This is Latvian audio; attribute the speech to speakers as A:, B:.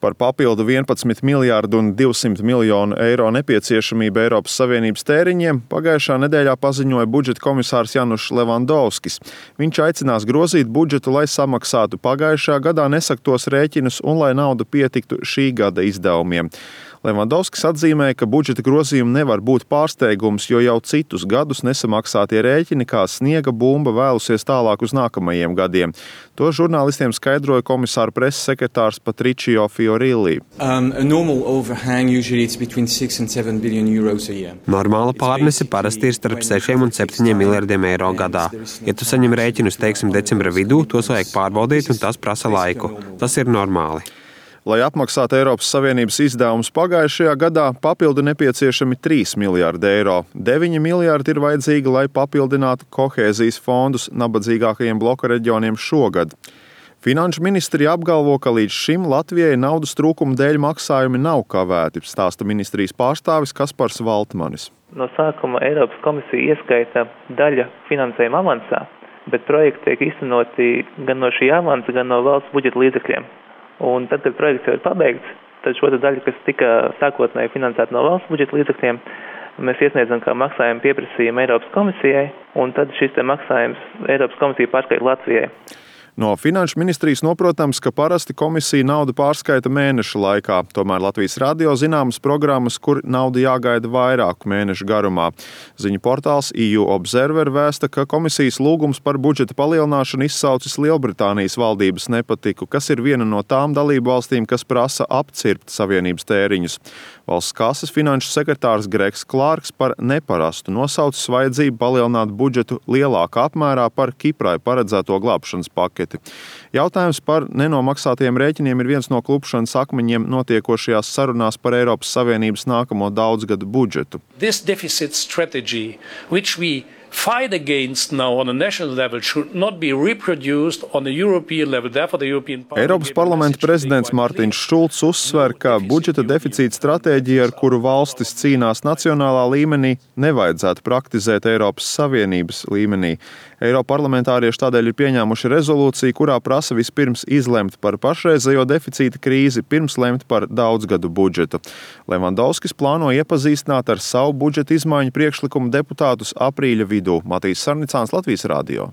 A: Par papildu 11 miljārdu un 200 miljonu eiro nepieciešamību Eiropas Savienības tēriņiem pagājušā nedēļā paziņoja budžeta komisārs Janušs Levandovskis. Viņš aicinās grozīt budžetu, lai samaksātu pagājušā gadā nesaktos rēķinus un lai nauda pietiktu šī gada izdevumiem. Levandovskis atzīmēja, ka budžeta grozījumi nevar būt pārsteigums, jo jau citus gadus nesamaksātie rēķini kā sniega bumba vēlusies tālāk uz nākamajiem gadiem. To žurnālistiem skaidroja komisāra preses sekretārs Patricio Fiorilli.
B: Normāla pārnese parasti ir starp 6 un 7 miljardiem eiro gadā. Ja tu saņem rēķinus, teiksim, decembra vidū, tos vajag pārbaudīt un tas prasa laiku. Tas ir normāli.
A: Lai apmaksātu Eiropas Savienības izdevumus pagājušajā gadā, papildu nepieciešami 3 miljārdi eiro. 9 miljārdi ir vajadzīgi, lai papildinātu kohēzijas fondus nabadzīgākajiem bloka reģioniem šogad. Finanšu ministrija apgalvo, ka līdz šim Latvijai naudas trūkuma dēļ maksājumi nav kavēti, stāsta ministrijas pārstāvis Kaspars Valtmanis.
C: No sākuma Eiropas komisija ieskaita daļa finansējuma avansā, bet projekti tiek īstenoti gan no šī avansa, gan no valsts budžeta līdzekļiem. Un tad, kad projekts jau ir pabeigts, tad šo daļu, kas tika sākotnēji finansēta no valsts budžeta līdzekļiem, mēs iesniedzam kā maksājumu pieprasījumu Eiropas komisijai, un tad šis maksājums Eiropas komisija pārskaita Latvijai.
A: No Finanšu ministrijas noprotams, ka parasti komisija naudu pārskaita mēneša laikā, tomēr Latvijas radio zināmas programmas, kur nauda jāgaida vairāku mēnešu garumā. Ziņu portāls EU Observer vēsta, ka komisijas lūgums par budžeta palielināšanu izsaucis Lielbritānijas valdības nepatiku, kas ir viena no tām dalību valstīm, kas prasa apcirpt savienības tēriņus. Valsts kases finanšu sekretārs Gregs Klārks par neparastu nosaucis vajadzību palielināt budžetu lielākā apmērā par Kiprai paredzēto glābšanas paketi. Jautājums par nenomaksātiem rēķiniem ir viens no klupšanas akmeņiem notiekošajās sarunās par Eiropas Savienības nākamo daudzgadu budžetu.
D: This deficit strategy, which we fight against now on a national level, should not be reproduced on a European level. Therefore, the European Parliament...
A: Eiropas parlamenta prezidents Mārtiņš Šulcs uzsver, ka budžeta deficīta stratēģija, ar kuru valstis cīnās nacionālā līmenī, nevajadzētu praktizēt Eiropas Savienības līmenī. Eiroparlamentārieši tādēļ ir pieņēmuši rezolūciju, kurā prasa vispirms izlemt par pašreizējo deficīta krīzi, pirms lemt par daudzgadu budžetu. Levandovskis plāno iepazīstināt ar savu budžeta izmaiņu priekšlikumu deputātus aprīļa vidū. Matīs Sarnicāns, Latvijas radio.